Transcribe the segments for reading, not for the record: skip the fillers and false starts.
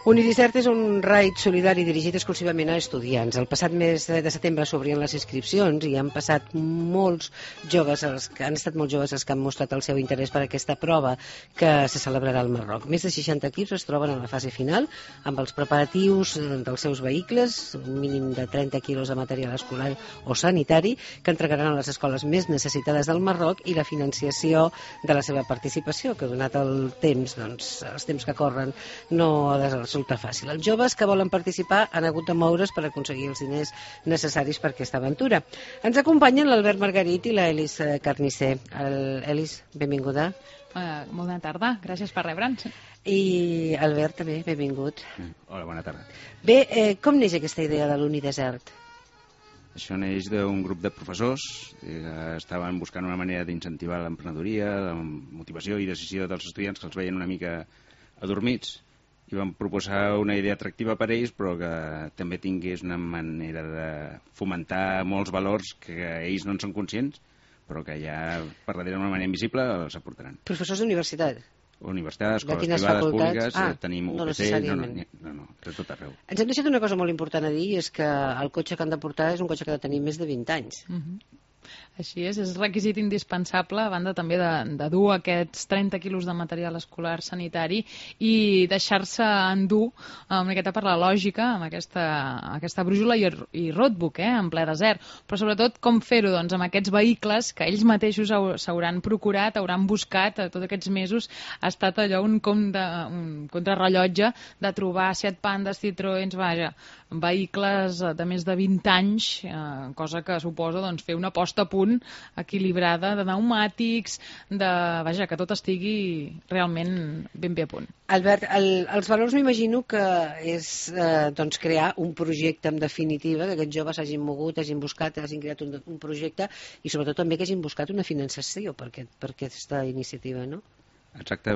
Unidicert és un raid solidari dirigit exclusivament a estudiants. El passat mes de setembre s'obrien les inscripcions i han estat molts joves els que han mostrat el seu interès per aquesta prova que se celebrarà al Marroc. Més de 60 equips es troben en la fase final amb els preparatius dels seus vehicles, un mínim de 30 quilos de material escolar o sanitari que entregaran a les escoles més necessitades del Marroc i la financiació de la seva participació, que donat el temps, doncs, els temps que corren, no ha de resultar fàcil. Els joves que volen participar han hagut de moure's per aconseguir els diners necessaris per aquesta aventura. Ens acompanyen l'Albert Margarit i l'Elis Carnisser. Elis, benvinguda. Molt bona tarda, gràcies per rebre'ns. I Albert també, benvingut. Hola, bona tarda. Bé, com neix aquesta idea de l'Unidesert? Això neix d'un grup de professors que estaven buscant una manera d'incentivar l'emprenedoria, la motivació i decisió dels estudiants que els veien una mica adormits i van proposar una idea atractiva per a ells però que també tingués una manera de fomentar molts valors que ells no en són conscients però que ja per darrere d'una manera invisible els aportaran. Professors d'universitat? Universitats, escoles privades, públiques, tenim UPC, no, de tot arreu. Ens hem deixat una cosa molt important a dir, és que el cotxe que han de portar és un cotxe que ha de tenir més de 20 anys. Així és requisit indispensable, a banda també de dur aquests 30 quilos de material escolar sanitari i deixar-se endur una miqueta per la lògica amb aquesta brújula i roadbook, en ple desert. Però sobretot com fer-ho amb aquests vehicles que ells mateixos s'hauran procurat, hauran buscat tots aquests mesos. Ha estat allò un contrarrellotge de trobar Seat Pandas, Citroëns, vehicles de més de 20 anys, cosa que suposa fer una posta a punt equilibrada de pneumàtics, que tot estigui realment ben bé a punt. Albert, els valors m'imagino que és crear un projecte en definitiva, que aquests joves hagin mogut, hagin buscat, hagin creat un projecte i sobretot també que hagin buscat una finançació per aquesta iniciativa, no? Exacte,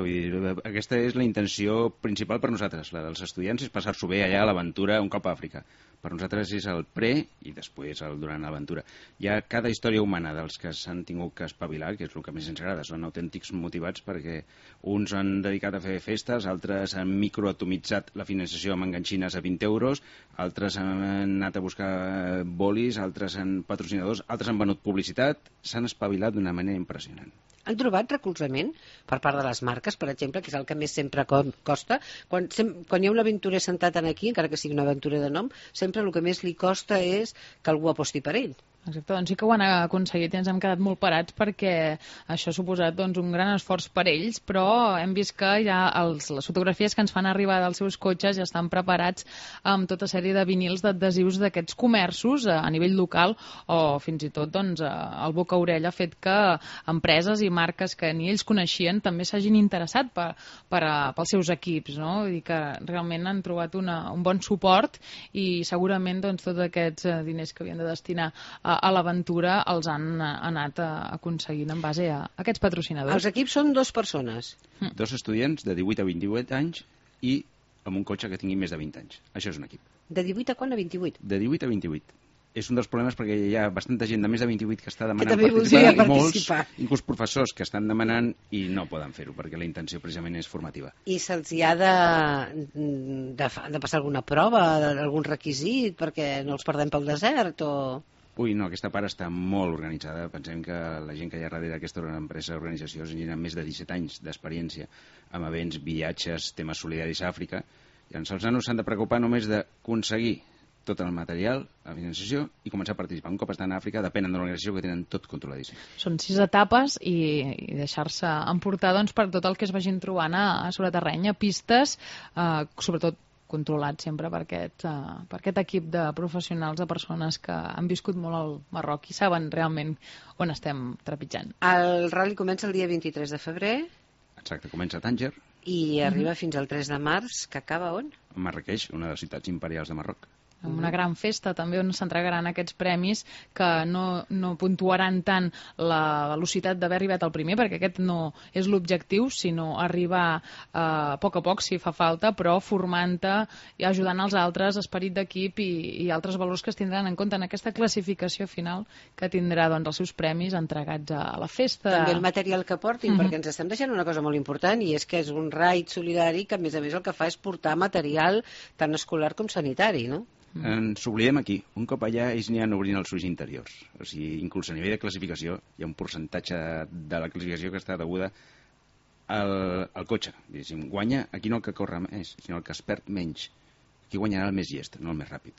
aquesta és la intenció principal per nosaltres, la dels estudiants, és passar-s'ho bé allà a l'aventura un cop a Àfrica. Per nosaltres és el pre i després el durant l'aventura. Hi ha cada història humana dels que s'han tingut que espavilar, que és el que més ens agrada, són autèntics motivats perquè uns han dedicat a fer festes, altres han microatomitzat la finançació amb enganxines a 20 euros, altres han anat a buscar bolis, altres han patrocinadors, altres han venut publicitat, s'han espavilat d'una manera impressionant. Han trobat recolzament per part de les marques, per exemple, que és el que més sempre costa? Quan hi ha un aventurer sentat aquí, encara que sigui una aventura de nom, sempre el que més li costa és que algú aposti per ell. Exacte, doncs sí que ho han aconseguit i ens hem quedat molt parats perquè això ha suposat un gran esforç per ells, però hem vist que ja les fotografies que ens fan arribar dels seus cotxes ja estan preparats amb tota sèrie de vinils d'adhesius d'aquests comerços a nivell local o fins i tot el boca-orella ha fet que empreses i marques que ni ells coneixien també s'hagin interessat pels seus equips, no? Vull dir que realment han trobat un bon suport i segurament tots aquests diners que havien de destinar a l'aventura els han anat aconseguint en base a aquests patrocinadors. Els equips són 2 persones. 2 estudiants de 18 a 28 anys i amb un cotxe que tingui més de 20 anys. Això és un equip. De 18 a quan? A 28? De 18 a 28. És un dels problemes perquè hi ha bastanta gent de més de 28 que està demanant participar i molts, inclús professors que estan demanant i no poden fer-ho perquè la intenció precisament és formativa. I se'ls hi ha de passar alguna prova, algun requisit perquè no els perdem pel desert o... Ui, no, aquesta part està molt organitzada. Pensem que la gent que hi ha darrere d'aquesta empresa d'organització tenen més de 17 anys d'experiència amb events, viatges, temes solidaris a Àfrica. I els nanos s'han de preocupar només d'aconseguir tot el material, la financiació i començar a participar. Un cop estan a Àfrica depenen de l'organització que tenen tot controladíssim. Són 6 etapes i deixar-se emportar per tot el que es vagin trobant a sobre terreny, a pistes, sobretot controlat sempre per aquest equip de professionals, de persones que han viscut molt al Marroc i saben realment on estem trepitjant. El rally comença el dia 23 de febrer. Exacte, comença a Tànger. I arriba fins al 3 de març, que acaba on? A Marràqueix, una de les ciutats imperials de Marroc. una gran festa també on s'entregaran aquests premis que no puntuaran tant la velocitat d'haver arribat al primer, perquè aquest no és l'objectiu, sinó arribar a poc, si fa falta, però formant-te i ajudant els altres, esperit d'equip i altres valors que es tindran en compte en aquesta classificació final que tindrà doncs, els seus premis entregats a la festa. També el material que portin, perquè ens estem deixant una cosa molt important, i és que és un raid solidari que, a més el que fa és portar material tant escolar com sanitari, no? Ens oblidem aquí. Un cop allà ells aniran obrint els ulls interiors. O sigui, inclús a nivell de classificació hi ha un percentatge de la classificació que està deguda al cotxe. Diguéssim, guanya aquí no el que corre més, sinó el que es perd menys. Aquí guanyarà el més llest, no el més ràpid.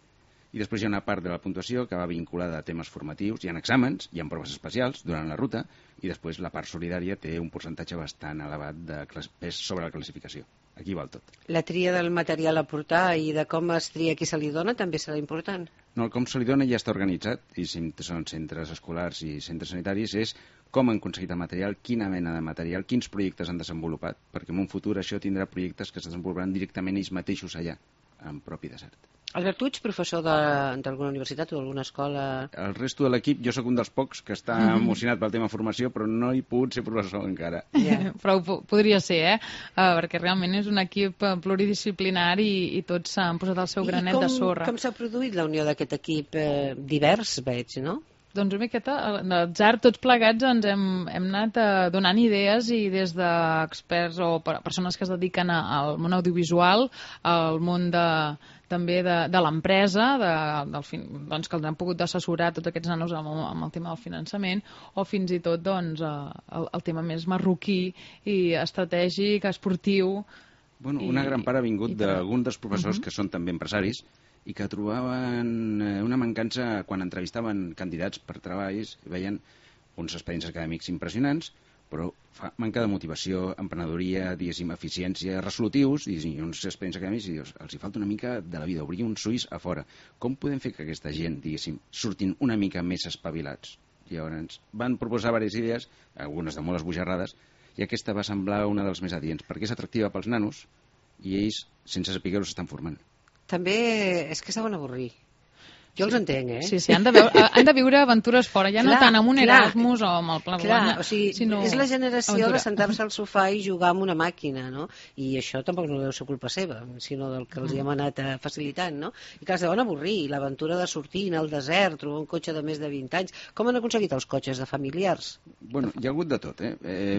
I després hi ha una part de la puntuació que va vinculada a temes formatius. Hi ha exàmens, hi ha proves especials durant la ruta, i després la part solidària té un percentatge bastant elevat de pes sobre la classificació. Aquí val tot. La tria del material a portar i de com es tria qui se li dona també serà important? No, el com se li dona ja està organitzat, i si són centres escolars i centres sanitaris, és com han aconseguit el material, quina mena de material, quins projectes han desenvolupat, perquè en un futur això tindrà projectes que es desenvoluparan directament ells mateixos allà, en propi desert. Albert, tu ets professor d'alguna universitat o d'alguna escola? El resto de l'equip, jo sóc un dels pocs que està emocionat pel tema formació, però no he pogut ser professor encara. Yeah. Però podria ser, perquè realment és un equip pluridisciplinari i tots s'han posat el seu granet de sorra. I com s'ha produït la unió d'aquest equip divers, veig, no? Doncs una miqueta, l'atzar, tots plegats ens hem anat donant idees i des d'experts o persones que es dediquen al món audiovisual, al món també de l'empresa, doncs, que els han pogut assessorar tots aquests nanos amb el tema del finançament, o fins i tot doncs, el tema més marroquí i estratègic, esportiu. Bueno, una gran part ha vingut d'alguns dels professors que són també empresaris i que trobaven una mancança quan entrevistaven candidats per treballs, veien uns expedients acadèmics impressionants, però manca de motivació, emprenedoria, diguéssim, eficiència, resolutius, i uns expedients acadèmics, i dius, els hi falta una mica de la vida, obrir uns ulls a fora. Com podem fer que aquesta gent, diguéssim, surtin una mica més espavilats? Llavors, van proposar diverses idees, algunes de molt esbojarrades, i aquesta va semblar una dels més adients, perquè és atractiva pels nanos i ells, sense saber-ho, s'estan formant. També és que s'han d'avorrir. Jo els entenc, Sí, han de viure aventures fora, ja no tant amb un Erasmus o amb el Pla Guanya. O sigui, és la generació de sentar-se al sofà i jugar amb una màquina, no? I això tampoc no deu ser culpa seva, sinó del que els hi hem anat facilitant, no? I clar, es deuen avorrir, l'aventura de sortir al desert, trobar un cotxe de més de 20 anys. Com han aconseguit els cotxes de familiars? Bueno, hi ha hagut de tot,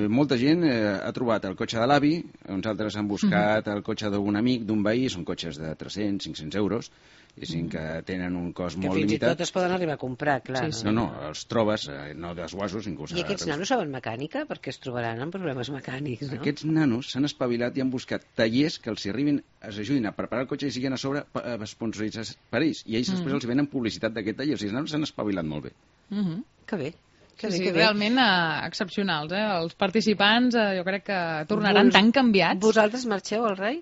molta gent ha trobat el cotxe de l'avi, uns altres han buscat el cotxe d'un amic, d'un veí, són cotxes de 300-500 euros, i que tenen un cost molt limitat. Que fins i tot es poden arribar a comprar, clar. Sí. No, els trobes, no desguassos, inclús. I aquests nanos saben mecànica? Perquè es trobaran amb problemes mecànics, no? Aquests nanos s'han espavilat i han buscat tallers que els arribin, els ajudin a preparar el cotxe i siguin a sobre sponsoritzats per ells. I ells després els venen publicitat d'aquest taller. O sigui, els nanos s'han espavilat molt bé. Que bé. Sí, realment excepcionals. Els participants jo crec que tornaran tan canviats. Vosaltres marxeu al RAI?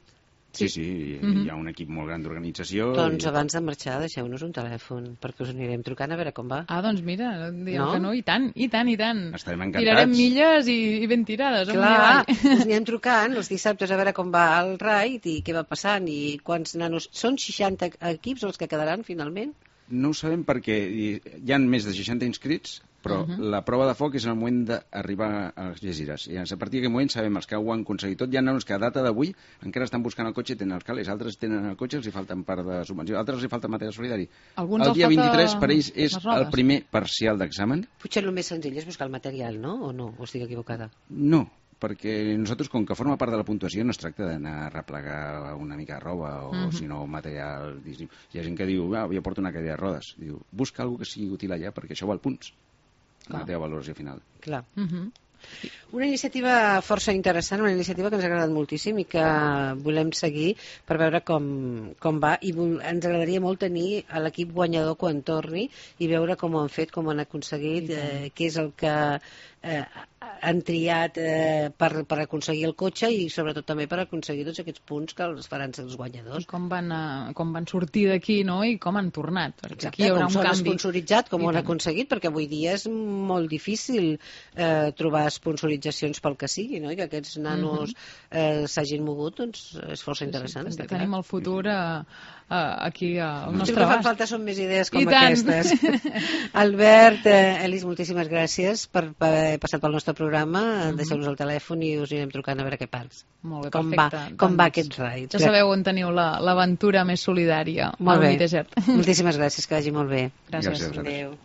Sí, hi ha un equip molt gran d'organització. Doncs abans de marxar deixeu-nos un telèfon perquè us anirem trucant a veure com va. Doncs mira, diem que no, i tant. Estarem encantats. Tirarem milles i ben tirades. Clar, us anirem trucant els dissabtes a veure com va el RAID i què va passant i quants nanos... Són 60 equips els que quedaran finalment? No ho sabem perquè hi ha més de 60 inscrits, però la prova de foc és en el moment d'arribar a les Algesires. I a partir d'aquest moment sabem els que ho han aconseguit tot. Hi ha nanos que a data d'avui encara estan buscant el cotxe i tenen els calés. Altres tenen el cotxe i els hi falten part de subvenció. Altres els hi falta material solidari. El dia 23 per ells és el primer parcial d'examen. Potser el més senzill és buscar el material, no? O no? O estic equivocada? No, perquè nosaltres, com que forma part de la puntuació, no es tracta d'anar a replegar una mica de roba o, sinó material. Hi ha gent que diu, jo porto una cadira de rodes. Diu, busca alguna que sigui útil allà perquè això val punts. La teva valoració final. Clar. Una iniciativa força interessant, una iniciativa que ens ha agradat moltíssim i que volem seguir per veure com va, i ens agradaria molt tenir l'equip guanyador quan torni i veure com ho han fet, com ho han aconseguit, què és el que han triat per aconseguir el cotxe i sobretot també per aconseguir tots aquests punts que els faran ser els guanyadors. I com van sortir d'aquí, no? I com han tornat. Perquè aquí hi haurà un com s'han canvi. esponsoritzat, com ho han aconseguit, perquè avui dia és molt difícil trobar sponsoritzacions pel que sigui, no? I que aquests nanos s'hagin mogut, doncs és força interessant. Tenim el futur aquí al nostre abast. El que fan falta són més idees com aquestes. Albert, Elis, moltíssimes gràcies per haver passat pel nostre programa. Deixeu-nos el telèfon i us anirem trucant a veure què passa. Molt bé, perfecte. Com va aquest raid. Ja sabeu on teniu l'aventura més solidària. Molt bé. Moltíssimes gràcies, que vagi molt bé. Gràcies. Adéu.